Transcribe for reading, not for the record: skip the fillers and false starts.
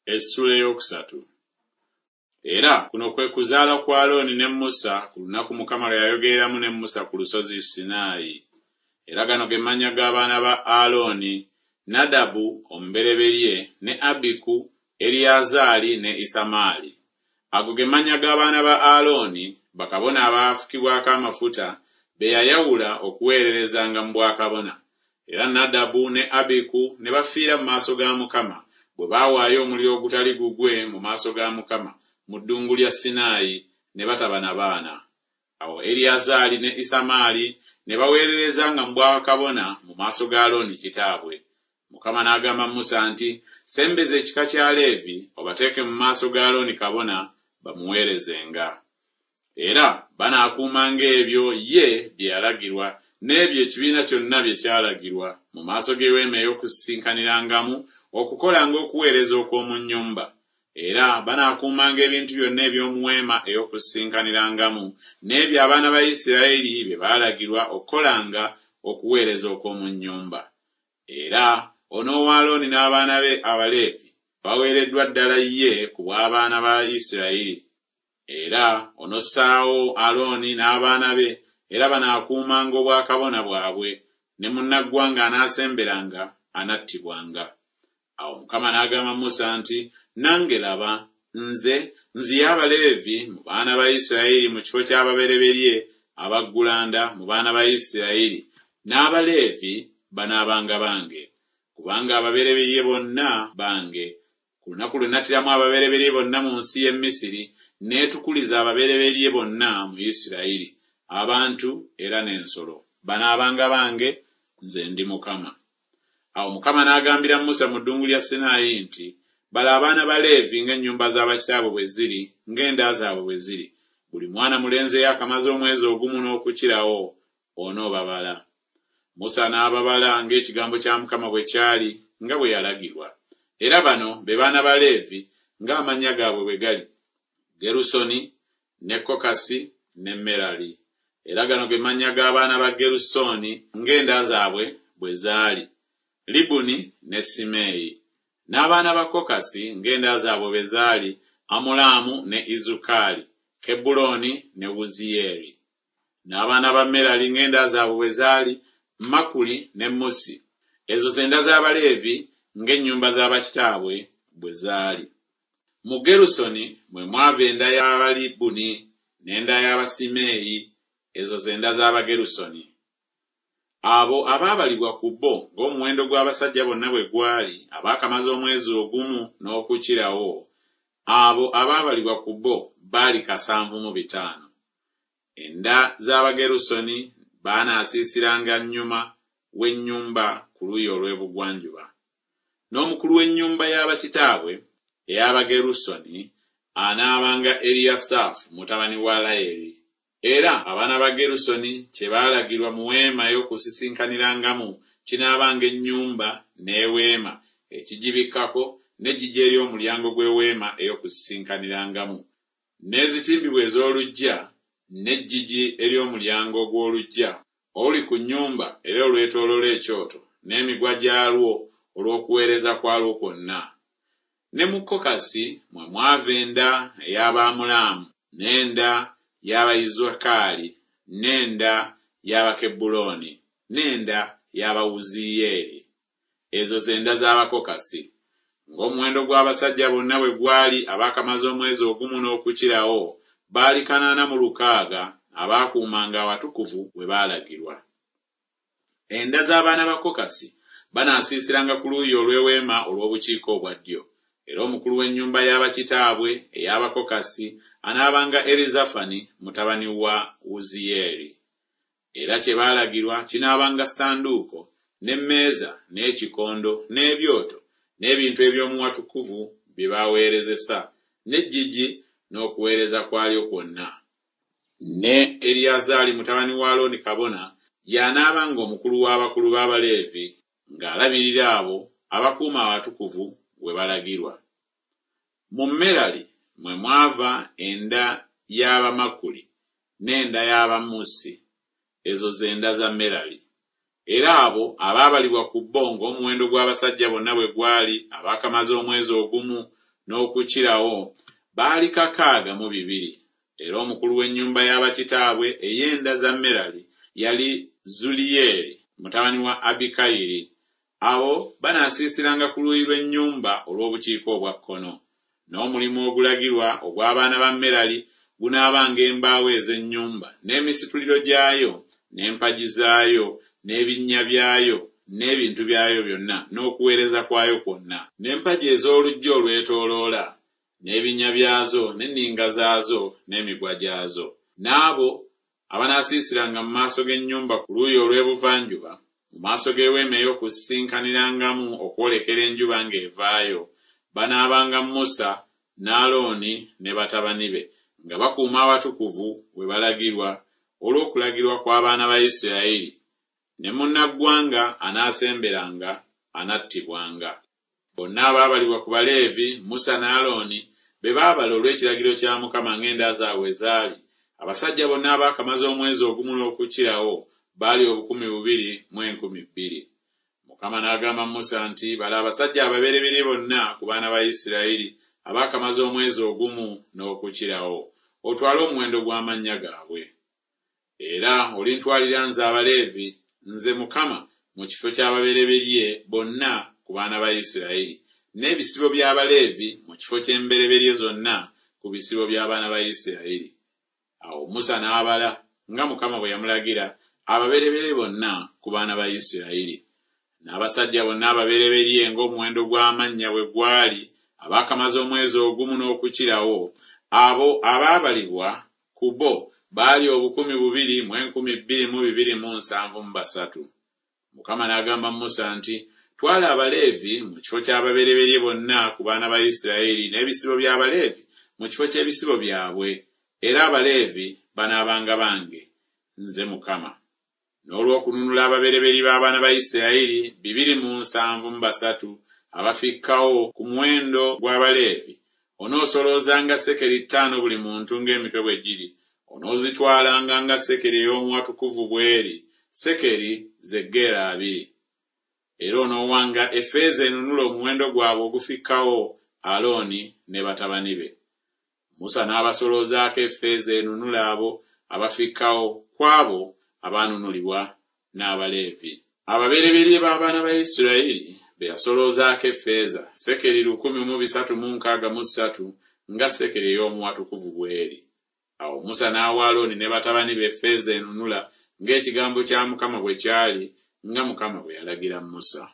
Essula eyokusatu. Era kuno kwe kuzaala kwa Alooni ne Musa ku lunaku Mukama lwe yayogereramu ne Musa ku lusozi Sinaayi. Era gano ge mannya g'abaana ba Alooni, Nadabu omubereberye, ne Abiku, Eriyazaali ne Isamaali. Ago ge mannya g'abaana ba Alooni, bakabona abaafukibwako amafuta, be yayawula okuweererezanga mu bwakabona. Era Nadabu ne Abiku ne bafiira mu maaso ga Mukama, bwe baawaayo omuliro ogutali gugwe mu maaso ga Mukama mu ddungu lya Sinaayi, ne bataba na baana. Awo Eriyazaali ne Isamaali ne baweererezanga mu bwakabona mu maaso ga Alooni kitaabwe. Mukama n'agamba Musa nti, Sembeza ekika kya Leevi, obateeke mu maaso ga Alooni kabona, bamuweerezenga. Era banaakuumanga ebyo ye bye yalagirwa, n'ebyo ekibiina kyonna bye kyalagirwa, mu maaso g'eweema ey'okusisinkanirangamu, okukolanga okuweereza okw'omu nnyumba. Era banaakuumanga ebintu byonna eby'omu weema ey'okusisinkanirangamu, n'ebyo abaana ba Isirayiri bye baalagirwa okukolanga okuweereza okw'omu nnyumba. Era onoowa Alooni n'abaana be Abaleevi, baweereddwa ddala ye ku bw'abaana ba Isirayiri. Era onossaawo Alooni n'abaana be, era banaakuumanga obwakabona bwabwe, ne munnaggwanga anaasemberanga anattibwanga. Awo Mukama n'agamba Musa nti, Nange laba, nze nziye Abaleevi mu baana ba Isirayiri mu kifo ky'ababereberye abaggulanda mu baana ba Isirayiri, n'Abaleevi banaabanga bange, kubanga ababereberye bonna bange. Ku lunaku lwe nattiramu ababereberye bonna mu nsi y'e Misiri, neetukuliza ababereberye bonna mu Isirayiri, abantu era n'ensolo. Banaabanga bange, nze ndi Mukama. Awo Mukama n'agambira Musa mu ddungu lya Sinaayi nti, Bala abaana ba Leevi ng'ennyumba za bakitaabwe bwe ziri, ng'enda zaabwe bwe ziri. Buli mwana mulenzi eyaakamaze omwezi ogumu n'okukirawo, onoobabala. Musa n'ababala ng'ekigambo kya Mukama bwe kyali, nga bwe yalagirwa. Era bano be baana ba Leevi ng'amannya gaabwe bwe gali, Gerusoni, ne Kokasi, ne Merali. Era gano ge mannya g'abaana ba Gerusooni ng'enda zaabwe bwe zaali, Libuni ne Simeeyi. N'abaana ba Kokasi ng'enda zaabwe bwe zaali, Amulaamu ne Izukaali, Kebbulooni ne Wuziyeeri. N'abaana ba Merali ng'enda zaabwe bwe zaali, Makuli ne Musi. Ezo ze nda z'Abaleevi ng'ennyumba za bakitaabwe bwe zaali. Mu Gerusoni mwe mwava enda y'Abalibuni n'enda y'Abasimeeyi. Ezo ze nda z'Abagerusoni. Abo abaabalibwa ku bo ng'omuwendo gw'abasajja bonna bwe gwali abaakamaze omwezi ogumu n'okukirawo, abo abaabalibwa ku bo baali 75. Enda z'Abagerusoni banaasiisiranga nnyuma w'ennyumba ku luuyi olw'ebugwanjuba. N'omukulu w'ennyumba ya bakitaabwe ey'Abagerusoni anaabanga Eriyasaafu mutabani wa Layeri. Era abaana ba Gerusoni kye baalagirwa mu weema ey'okusisinkanirangamu kinaabanga ennyumba n'eweema, ekigibikkako, n'eggigi ery'omulyango gw'eweema ey'okusisinkanirangamu, n'ezitimbibwa ez'oluggya, n'eggigi ery'omulyango gw'oluggya oluli ku nnyumba era olwetooloola ekyoto, n'emigwa gyalwo olw'okuweereza kwalwo kwonna. Ne mu Kokasi mwe mwava enda ey'Abaamulaamu, n'enda y'Abayizukaali, n'enda y'Abakebbulooni, n'enda y'Abawuziyeeri. Ezo ze nda z'Abakokasi. Ng'omuwendo gw'abasajja bonna bwe gwali abaakamaze omwezi ogumu n'okukirawo, baali 860, abaakuumanga awatukuvu we baalagirwa. Enda z'abaana ba Kokasi banaasiisiranga ku luuyi olw'eweema olw'obukiika obwa ddyo. Era omukulu w'ennyumba ya bakitaabwe ey'Abakokasi anaabanga Erizafani mutabani wa Wuziyeeri. Era kye baalagirwa kinaabanga ssanduuko, n'emmeeza, n'ekikondo, n'ebyoto, n'ebintu eby'omu watukuvu bye baweerezesa, n'eggigi n'okuweereza kwalyo kwonna. Ne Eriyazaali mutabani wa Alooni kabona y'anaabanga omukulu w'abakulu b'Abaleevi ng'alabirira abo abakuuma awatukuvu we balagirwa. Mu Merali mwe mwava enda y'Abamakuli n'enda y'Abamusi. Ezo ze nda za Merali. Era abo abaabalibwa ku bo ng'omuwendo gw'abasajja bonna bwe gwali abaakamaze omwezi ogumu n'okukirawo baali 62. Era omukulu w'ennyumba ya bakitaabwe ey'enda za Merali yali Zuliyeeri mutabani wa Abikayiri. Abo banaasiisiranga ku luuyi lw'ennyumba olw'obukiika obwa kkono. N'omulimu ogulagirwa ogw'abaana ba Merali gunaabanga embaawo ez'ennyumba, n'emisituliro gyayo, n'empagi zaayo, n'ebinnya byayo, n'ebintu byayo byonna, n'okuweereza kwayo kwonna. N'empagi ez'oluggya olwetooloola, n'ebinnya byazo, n'enninga zaazo, n'emigwa gyazo. N'abo abanaasiisiranga mu maaso g'ennyumba ku luuyi olw'ebuvanjuba, mu maaso g'eweema ey'okusisinkanirangamu okwolekera enjuba ng'evaayo, banaabanga Musa ne Alooni ne batabani be, nga bakuuma awatukuvu we balagirwa olw'okulagirwa kw'abaana ba Isiraeri. Ne munnaggwanga anaasemberanga anattibwanga. Bonna abaabalibwa ku Baleevi, Musa ne Alooni be baabala olw'ekiragiro kya Mukama ng'enda zaabwe bwe zaali, abasajja bonna abaakamaze omwezi ogumu n'okukirawo baali 2,200. Mukama n'agamba Musa nti, Bala abasajja ababereberye bonna ku baana ba Isirayiri abaakamaze omwezi ogumu n'okukirawo, otwale omuwendo gw'amannya gaabwe. Era olintwalira nze Abaleevi, nze Mukama, mu kifo ky'ababereberye bonna ku baana ba Isirayiri, n'ebisibo by'Abaleevi mu kifo ky'embereberye zonna ku bisibo by'abaana ba Isirayiri. Awo Musa n'abala, nga Mukama bwe yamulagira, ababereberye bonna ku baana ba Isirayiri. N'abasajja bonna ababereberye ng'omuwendo gw'amannya bwe gwali abaakamaze omwezi ogumu n'okukirawo, abo abaabalibwa ku bo baali 2,273. Mukama n'agamba Musa nti, Twala Abaleevi mu kifo ky'ababereberye bonna ku baana ba Isirayiri n'ebisibo by'Abaleevi mu kifo ky'ebisibo byabwe, era Abaleevi banaabanga bange, nze Mukama. N'olw'okununula ababereberye b'abaana ba Isirayiri 273 abafikkawo ku muwendo gw'Abaleevi, onoosoloozanga sekeri ttaano buli muntu ng'emitwe bwe giri, onoozitwalanga nga sekeri ey'omu watukuvu bw'eri, sekeri ze gera abiri. Era onoowanga effeeza enunula omuwendo gwabwe ogufikkawo Alooni ne batabani be. Musa n'abasoloozaako effeeza enunula abo abafikkawo ku abo abaanunulibwa n'Abaleevi. Ababereberye b'abaana ba Isirayiri be yasoloozaako effeeza, sekeri 1,363 nga sekeri ey'omu watukuvu bw'eri. Awo Musa n'awa Alooni ne batabani be effeeza enunula ng'ekigambo kya Mukama bwe kyali, nga Mukama bwe yalagira Musa.